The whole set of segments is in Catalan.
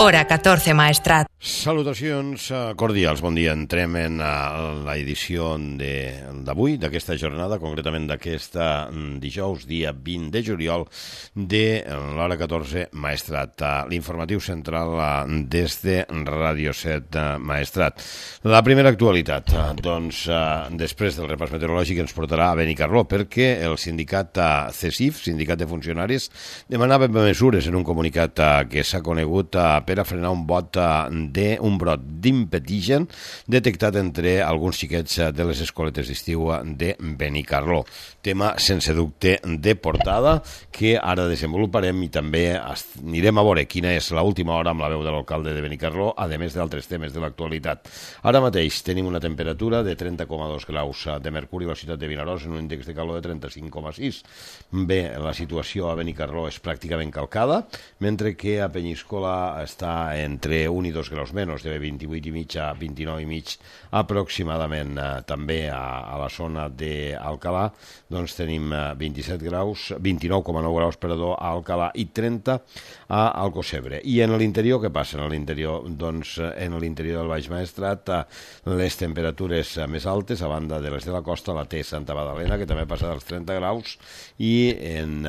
Hora 14, Maestrat. Salutacions cordials, bon dia. Entrem en l'edició d'avui, d'aquesta jornada, concretament d'aquesta dijous, dia 20 de juliol, de l'Hora 14, Maestrat. L'informatiu central des de Ràdio 7, Maestrat. La primera actualitat, doncs, després del repàs meteorològic, ens portarà a Benicarló, perquè el sindicat CESIF, Sindicat de Funcionaris, demanava mesures en un comunicat que s'ha conegut per a frenar un brot d'impetigen detectat entre alguns xiquets de les escoletes d'estiu de Benicarló. Tema sense dubte de portada que ara desenvoluparem i també anirem a veure quina és l'última hora amb la veu de l'alcalde de Benicarló, a més d'altres temes de l'actualitat. Ara mateix tenim una temperatura de 30,2 graus de mercuri a la ciutat de Vinaròs en un índex de calor de 35,6. Bé, la situació a Benicarló és pràcticament calcada, mentre que a Penyíscola està entre 1 i 2 graus menys, de 28,5 a 29,5 aproximadament. També a la zona d'Alcalà doncs tenim 29,9 graus a Alcalà i 30 a Alcocebre. I en l'interior, què passa? En l'interior, doncs, en l'interior del Baix Maestrat, les temperatures més altes, a banda de les de la costa, la té Santa Magdalena, que també passa dels 30 graus, i en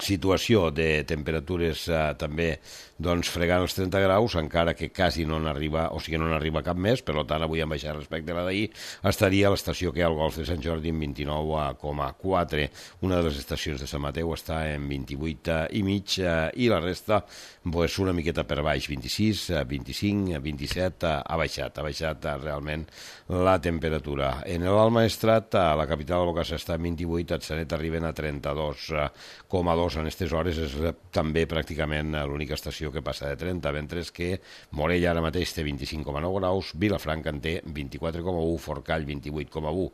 situació de temperatures també doncs fregant els 30 graus, encara que quasi no n'arriba, o sigui, no n'arriba cap més, per tant, avui han baixat respecte a la d'ahir, estaria a l'estació que hi ha al Golf de Sant Jordi en 29,4. Una de les estacions de Sant Mateu està en 28,5 i la resta, doncs, una miqueta per baix, 26, 25, 27, ha baixat realment la temperatura. En l'Alt Maestrat, a la capital del Bocassa està en 28, a Atzanet arriben a 32,2 en aquestes hores, és també pràcticament l'única estació que passa de 30, mentre que Morella ara mateix té 25,9 graus, Vilafranca en té 24,1, Forcall 28,1.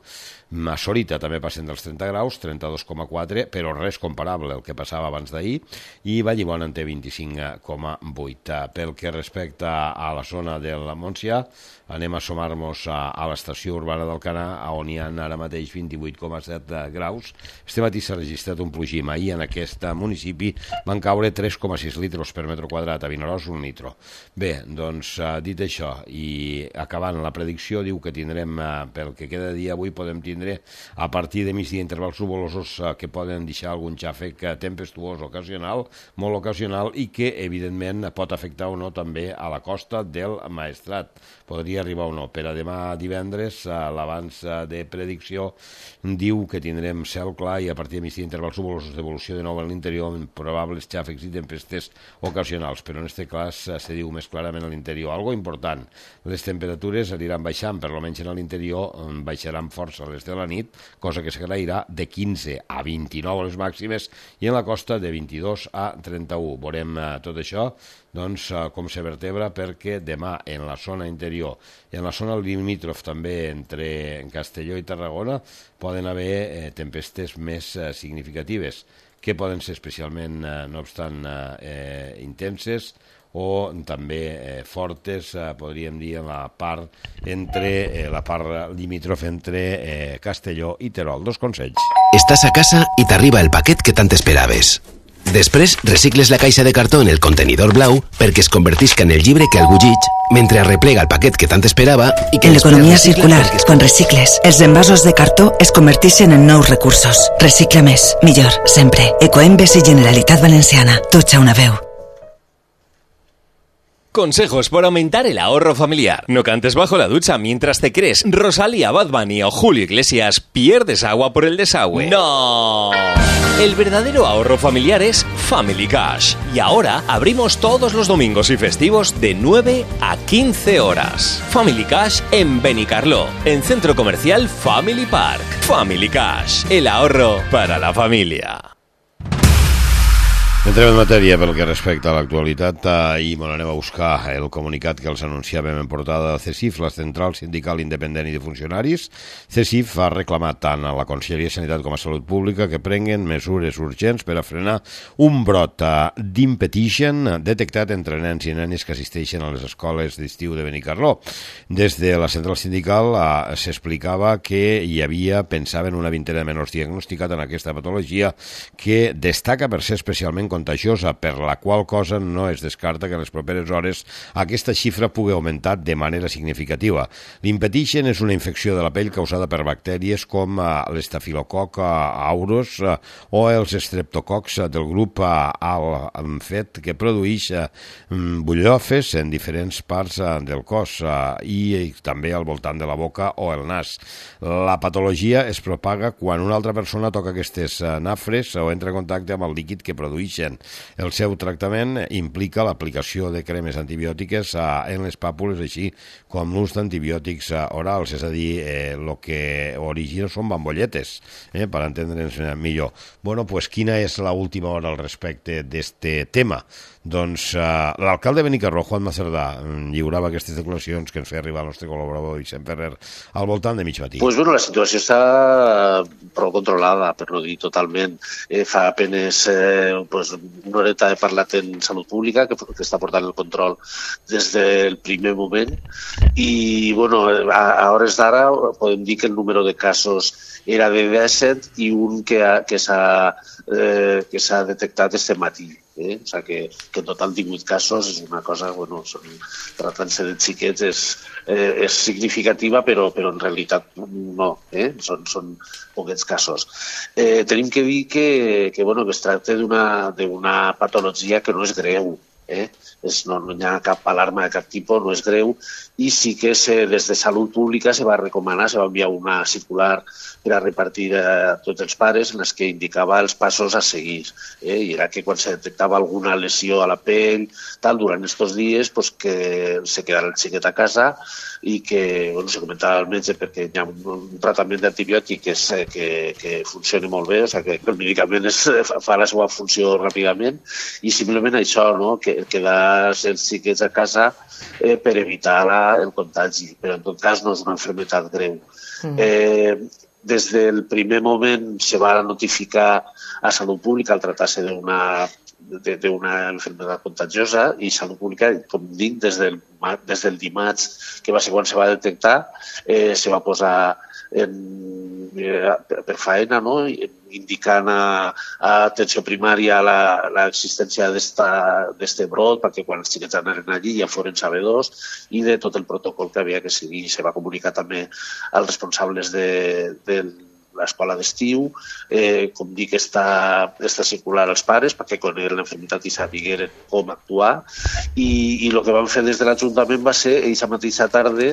A Sorita també passen dels 30 graus, 32,4, però res comparable al que passava abans d'ahir, i Vallibona en té 25,8. Pel que respecta a la zona del Montsià, anem a sumar-nos a l'estació urbana d'Alcanar, on hi ha ara mateix 28,7 graus. Este matí s'ha registrat un plogim. Ahir en aquest municipi van caure 3,6 litres per metre quadrat, a Vinaròs un litro. Bé, doncs, dit això, i acabant la predicció, diu que tindrem, pel que queda de dia avui, podem tindre a partir de migdia intervals nuvolosos que poden deixar algun xàfec tempestuós ocasional, molt ocasional, i que, evidentment, pot afectar o no també a la costa del Maestrat. Podria arribar o no. Per a demà divendres, l'abans de predicció diu que tindrem cel clar i a partir de migdia intervals nuvolosos d'evolució de nou en l'interior, probables xàfecs i tempestes ocasionals, però en aquest cas se diu més clarament a l'interior. Algo important, les temperatures aniran baixant, per almenys en l'interior baixaran força les de la nit, cosa que s'agrairà de 15 a 29 les màximes, i en la costa de 22 a 31. Veurem tot això, doncs, com se vertebra, perquè demà en la zona interior, en la zona limítrof també entre Castelló i Tarragona, poden haver tempestes més significatives, que poden ser especialment, no obstant, intenses o també fortes, podríem dir, en la part limítrof entre Castelló i Terol. Dos consells. Estàs a casa i t'arriba el paquet que tant esperaves. Després, recicles la caixa de cartó en el contenidor blau perquè es convertisca en el llibre que algú llig, mentre arreplega el paquet que tant esperava i que... En l'economia circular, quan recicles, els envasos de cartó es converteixen en nous recursos. Recicla més, millor, sempre. Ecoembes i Generalitat Valenciana. Tutxa una veu. Consejos por aumentar el ahorro familiar. No cantes bajo la ducha mientras te crees Rosalía, Bad Bunny o Julio Iglesias, pierdes agua por el desagüe. ¡No! El verdadero ahorro familiar es Family Cash. Y ahora abrimos todos los domingos y festivos de 9 a 15 horas. Family Cash en Benicarló, en Centro Comercial Family Park. Family Cash, el ahorro para la familia. Entrem en matèria pel que respecta a l'actualitat i anem a buscar el comunicat que els anunciàvem en portada de CESIF, la Central Sindical Independent i de Funcionaris. CESIF ha reclamat tant a la Conselleria de Sanitat com a Salut Pública que prenguen mesures urgents per a frenar un brot d'impetigen detectat entre nens i nenes que assisteixen a les escoles d'estiu de Benicarló. Des de la Central Sindical s'explicava que hi havia, pensaven, una vintena de menors diagnosticats en aquesta patologia que destaca per ser especialment contagiosa, per la qual cosa no es descarta que en les properes hores aquesta xifra pugui augmentar de manera significativa. L'impetigen és una infecció de la pell causada per bactèries com l'estafilococ aureus o els estreptococs del grup A-L-fet, que produeix bullofes en diferents parts del cos i també al voltant de la boca o el nas. La patologia es propaga quan una altra persona toca aquestes nafres o entra en contacte amb el líquid que produeixen. El seu tractament implica l'aplicació de cremes antibiòtiques en les pàpules, així com l'ús d'antibiòtics orals, és a dir, el que origina són bambolletes, per entendre'ns millor. Bueno, pues quina és l'última hora al respecte d'este tema? Doncs l'alcalde de Benicarló, Juan Macerdà, lliurava aquestes declaracions que ens feia arribar el nostre col·laborador Vicent Ferrer al voltant de mig matí. Pues bueno, la situació està prou controlada, per no dir totalment. Fa apenes una horeta he parlat en Salut Pública, que està portant el control des del primer moment, i bueno, a hores d'ara podem dir que el número de casos era de 17 i un que s'ha detectat este matí. O sigui que en total 18 casos és una cosa, bueno, tractant-se de xiquets és significativa, però en realitat no, són poquets casos. Tenim que dir que es tracta d'una patologia que no és greu, no hi ha cap alarma de cap tipus, no és greu, i sí que des de Salut Pública se va recomanar, se va enviar una circular per a repartir a tots els pares en les que indicava els passos a seguir. I era que quan se detectava alguna lesió a la pell, durant aquests dies, que se quedara el xiquet a casa i que se comentava al metge perquè hi ha un tractament d'antibiòtic que funciona molt bé, o sigui que el medicament fa la seva funció ràpidament, i simplement això, que quedar els xiquets a casa per evitar el contagi, però en tot cas no és una malaltia greu. Des del primer moment se va notificar a Salut Pública al tractar-se d'una malaltia contagiosa, i Salut Pública, com dic, des del dimarts, que va ser quan se va detectar, se va posar per faena, indicant a atenció primària l'existència d'aquest brot, perquè quan els xiquets anaven allí ja foren sabedors, i de tot el protocol que havia que seguir. Se va comunicar també als responsables de l'escola d'estiu, com dic, està circular als pares perquè conegueren l'enfermitat i sabigueren com actuar, i el que van fer des de l'Ajuntament va ser, aquesta mateixa tarda,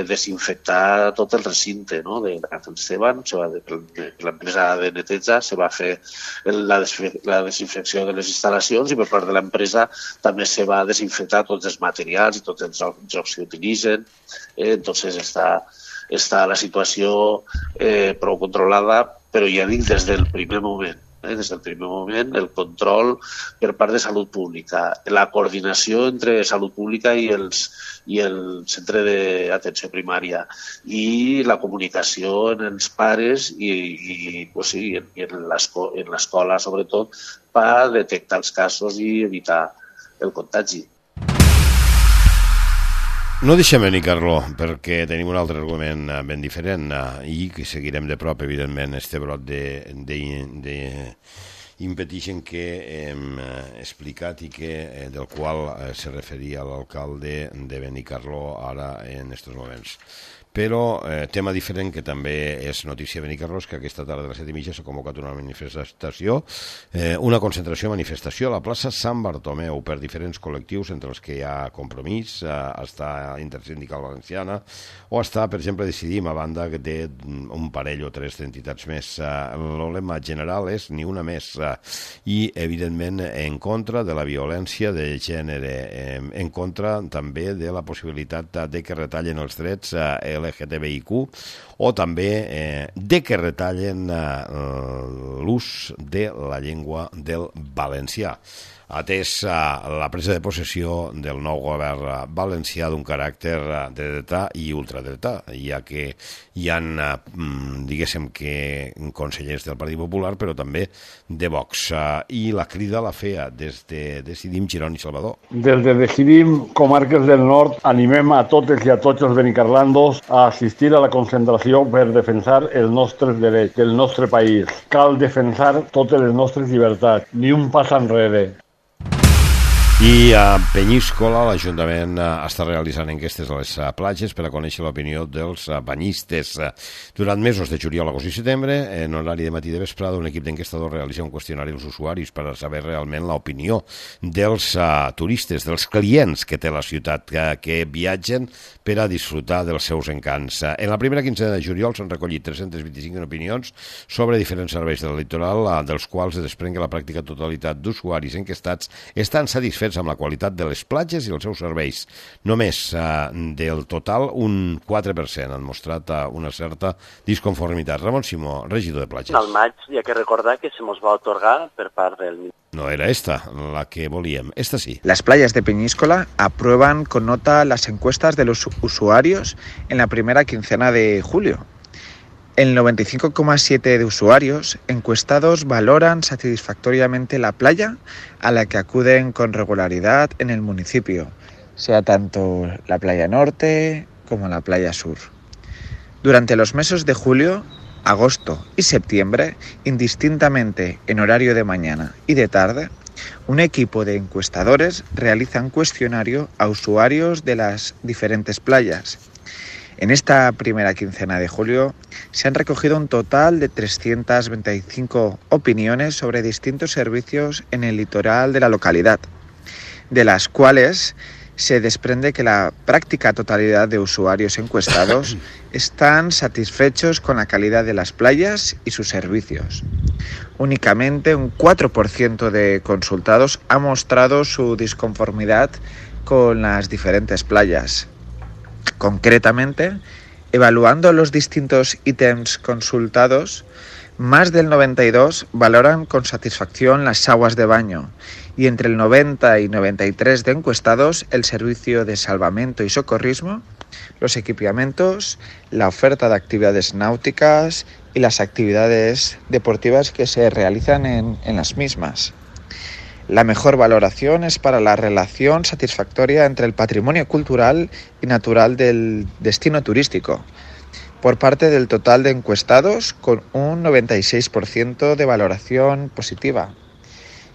desinfectar tot el recinte de Sant Esteban. L'empresa de neteja se va fer la desinfecció de les instal·lacions, i per part de l'empresa també se va desinfectar tots els materials i tots els jocs que utilitzen. Entonces està la situació prou controlada, però ja dic, des del primer moment. Des del primer moment, el control per part de Salut Pública, la coordinació entre Salut Pública i el centre d'atenció primària, i la comunicació en els pares i en l'escola, sobretot, per detectar els casos i evitar el contagi. No deixem Benicarló, perquè tenim un altre argument ben diferent i que seguirem de prop, evidentment, este brot d'impetigen que hem explicat i del qual se referia l'alcalde de Benicarló ara en aquests moments. Però tema diferent, que també és notícia a Benicarló, és que aquesta tarda a les 7:30 s'ha convocat una manifestació, una concentració-manifestació a la plaça Sant Bartomeu per diferents col·lectius, entre els que hi ha Compromís, està Intersindical Valenciana, o està, per exemple, Decidim, a banda que té un parell o tres d'entitats més. El lema general és ni una més, i, evidentment, en contra de la violència de gènere, en contra també de la possibilitat de que retallen els drets LGTBIQ, o també de que retallen l'ús de la llengua del valencià. atès la presa de possessió del nou govern valencià d'un caràcter de dretà i ultradretà, ja que hi ha, diguéssim que, consellers del Partit Popular, però també de Vox. I la crida la feia des de Decidim Girona i Salvador. Des de Decidim Comarques del Nord animem a totes i a tots els benicarlandos a assistir a la concentració per defensar els nostres drets del nostre país. Cal defensar totes les nostres llibertats, ni un pas enrere. I a Peníscola l'Ajuntament està realitzant enquestes a les platges per a conèixer l'opinió dels banyistes. Durant mesos de juliol, agost i setembre, en horari de matí i de vesprada, un equip d'enquestadors realitza un qüestionari als usuaris per a saber realment l'opinió dels turistes, dels clients que té la ciutat, que viatgen per a disfrutar dels seus encants. En la primera quincena de juliol s'han recollit 325 opinions sobre diferents serveis del litoral, dels quals es desprèn que la pràctica totalitat d'usuaris enquestats estan satisfets amb la qualitat de les platges i els seus serveis. Només del total un 4% han mostrat una certa disconformitat. Ramon Simó, regidor de platges. Al maig hi ha que recordar que se nos va otorgar per part del... No era esta la que volíem, esta sí. Las playas de Peñíscola aprueban con nota las encuestas de los usuarios en la primera quincena de julio. El 95,7% de usuarios encuestados valoran satisfactoriamente la playa a la que acuden con regularidad en el municipio, sea tanto la playa norte como la playa sur. Durante los meses de julio, agosto y septiembre, indistintamente en horario de mañana y de tarde, un equipo de encuestadores realiza un cuestionario a usuarios de las diferentes playas. En esta primera quincena de julio se han recogido un total de 325 opiniones sobre distintos servicios en el litoral de la localidad, de las cuales se desprende que la práctica totalidad de usuarios encuestados están satisfechos con la calidad de las playas y sus servicios. Únicamente un 4% de consultados ha mostrado su disconformidad con las diferentes playas. Concretamente, evaluando los distintos ítems consultados, más del 92% valoran con satisfacción las aguas de baño y entre el 90 y 93% de encuestados el servicio de salvamento y socorrismo, los equipamientos, la oferta de actividades náuticas y las actividades deportivas que se realizan en las mismas. La mejor valoración es para la relación satisfactoria entre el patrimonio cultural y natural del destino turístico, por parte del total de encuestados, con un 96% de valoración positiva.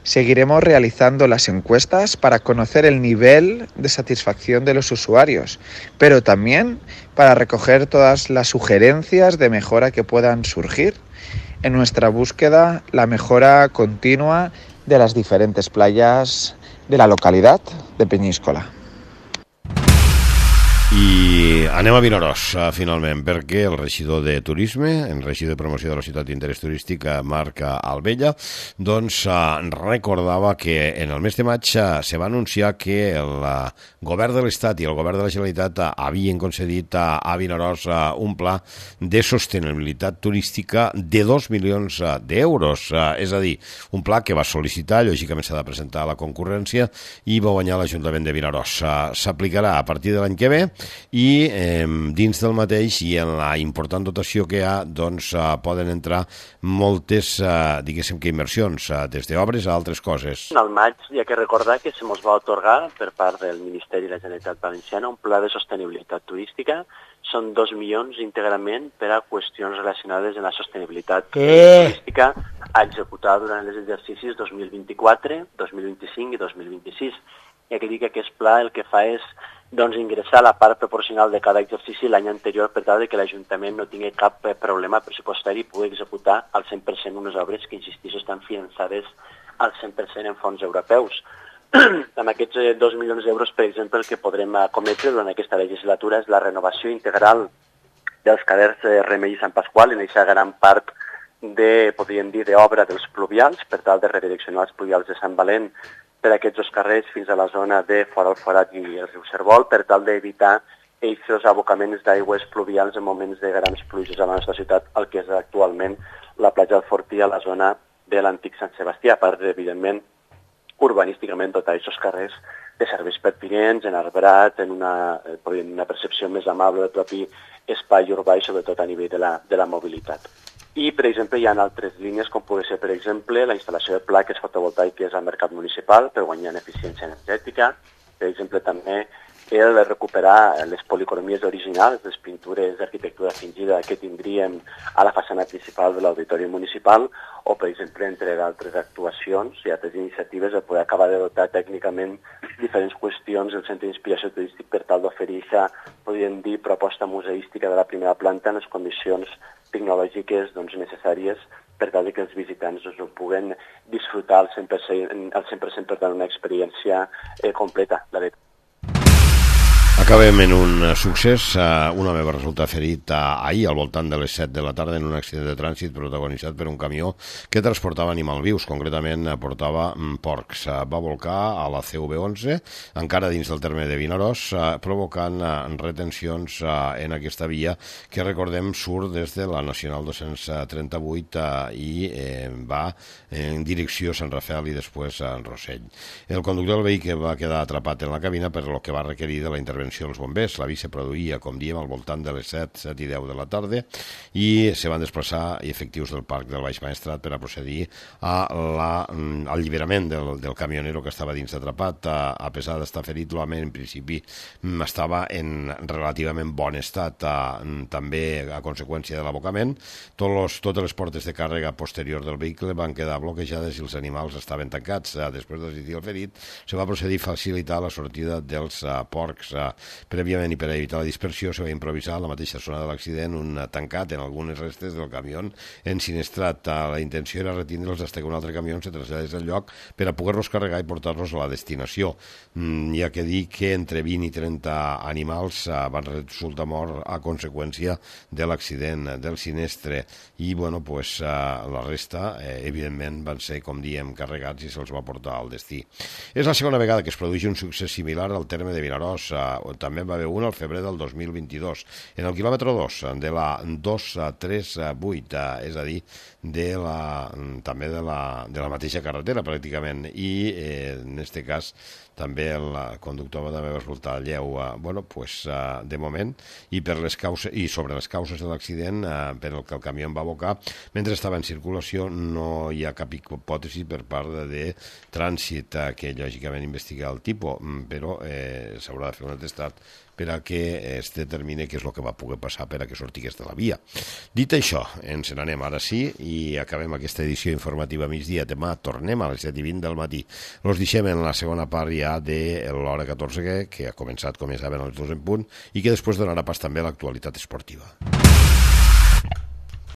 Seguiremos realizando las encuestas para conocer el nivel de satisfacción de los usuarios, pero también para recoger todas las sugerencias de mejora que puedan surgir. En nuestra búsqueda, la mejora continua de las diferentes playas de la localidad de Peñíscola. I anem a Vinaròs, finalment, perquè el regidor de Turisme, el regidor de Promoció de la Ciutat d'Interès Turístic, Marc Albella, doncs recordava que en el mes de maig se va anunciar que el govern de l'Estat i el govern de la Generalitat havien concedit a Vinaròs un pla de sostenibilitat turística de 2 milions d'euros. És a dir, un pla que va sol·licitar, lògicament s'ha de presentar a la concurrència, i va guanyar l'Ajuntament de Vinaròs. S'aplicarà a partir de l'any que ve, i dins del mateix i en la important dotació que hi ha doncs poden entrar moltes diguéssim que inversions, des d'obres a altres coses. Al maig hi ha que recordar que se ens va otorgar per part del Ministeri de la Generalitat Valenciana un pla de sostenibilitat turística. Són 2 milions íntegrament per a qüestions relacionades amb la sostenibilitat turística a executar durant els exercicis 2024, 2025 i 2026. I aquí dic que aquest pla el que fa és ingressar la part proporcional de cada exercici l'any anterior per tal que l'Ajuntament no tingui cap problema pressupostari i pugui executar al 100% unes obres que, insistís, estan finançades al 100% en fons europeus. Amb aquests 2 milions d'euros, per exemple, el que podrem cometre durant aquesta legislatura és la renovació integral dels carrers Remei i Sant Pasqual, en aquesta gran part podríem dir, d'obra dels pluvials, per tal de redireccionar els pluvials de Sant Valent per aquests dos carrers fins a la zona de Fora el Forat i el riu Cervol, per tal d'evitar aquests abocaments d'aigües pluvials en moments de grans pluges a la nostra ciutat, el que és actualment la platja del Fortí a la zona de l'antic Sant Sebastià, a part, evidentment, urbanísticament dotar aquests carrers de serveis pertinents, enarbrat, en una percepció més amable del propi espai urbà i sobretot a nivell de la mobilitat. I, per exemple, hi ha altres línies, com pugui ser, per exemple, la instal·lació de plaques fotovoltaiques al mercat municipal per guanyar en eficiència energètica, per exemple, també el recuperar les policromies originals, les pintures d'arquitectura fingida que tindríem a la façana principal de l'auditori municipal, o, per exemple, entre d'altres actuacions i altres iniciatives, de poder acabar de dotar tècnicament diferents qüestions del centre d'inspiració turístic per tal d'oferir aquesta, podríem dir, proposta museística de la primera planta en les condicions tecnològiques necessàries per tal que els visitants ho puguen disfrutar al 100%, per tant, una experiència completa, la veritat. Acabem en un succés. Un home va resultar ferit ahir al voltant de les 7 de la tarda en un accident de trànsit protagonitzat per un camió que transportava animals vius, concretament portava porcs. Va volcar a la CV11, encara dins del terme de Vinaròs, provocant retencions en aquesta via que, recordem, surt des de la Nacional 238 i va en direcció a Sant Rafel i després a Rossell. El conductor del vehicle va quedar atrapat en la cabina, per lo que va requerir de la intervenció dels bombers. L'avís se produïa, com diem, al voltant de les 7 i 10 de la tarda i se van desplaçar efectius del Parc del Baix Maestrat per a procedir a l'alliberament del camionero que estava dins atrapat. A pesar d'estar ferit, l'home en principi estava en relativament bon estat, també a conseqüència de l'abocament. Totes les portes de càrrega posterior del vehicle van quedar bloquejades i els animals estaven tancats. Després d'assistir al ferit, se va procedir a facilitar la sortida dels porcs. Prèviament i per evitar la dispersió se va improvisar a la mateixa zona de l'accident un tancat en algunes restes del camió ensinistrat. La intenció era retindre'ls fins que un altre camió se traslladés al lloc per a poder-los carregar i portar-los a la destinació. Hi ha que dir que entre 20 i 30 animals van resultar morts a conseqüència de l'accident del sinistre i la resta evidentment van ser, com diem, carregats i se'ls va portar al destí. És la segona vegada que es produeix un succés similar al terme de Vinaròs. També va haver un al febrer del 2022, en el quilòmetre 2 de la 238, és a dir, també de la mateixa carretera pràcticament, i en aquest cas també el conductor va resultar lleu. De moment, i sobre les causes de l'accident per el que el camió va abocar, mentre estava en circulació, no hi ha cap hipòtesi per part de trànsit que lògicament investiga el tipus, però s'haurà de fer un atestat per a que es determini què és el que va poder passar per a que sortigués de la via. Dit això, ens n'anem ara sí i acabem aquesta edició informativa a migdia. Demà tornem a les 7:20 del matí. Els deixem en la segona part ja de l'hora 14, que ha començat, com ja saben, a les 2 en punt, i que després donarà pas també a l'actualitat esportiva.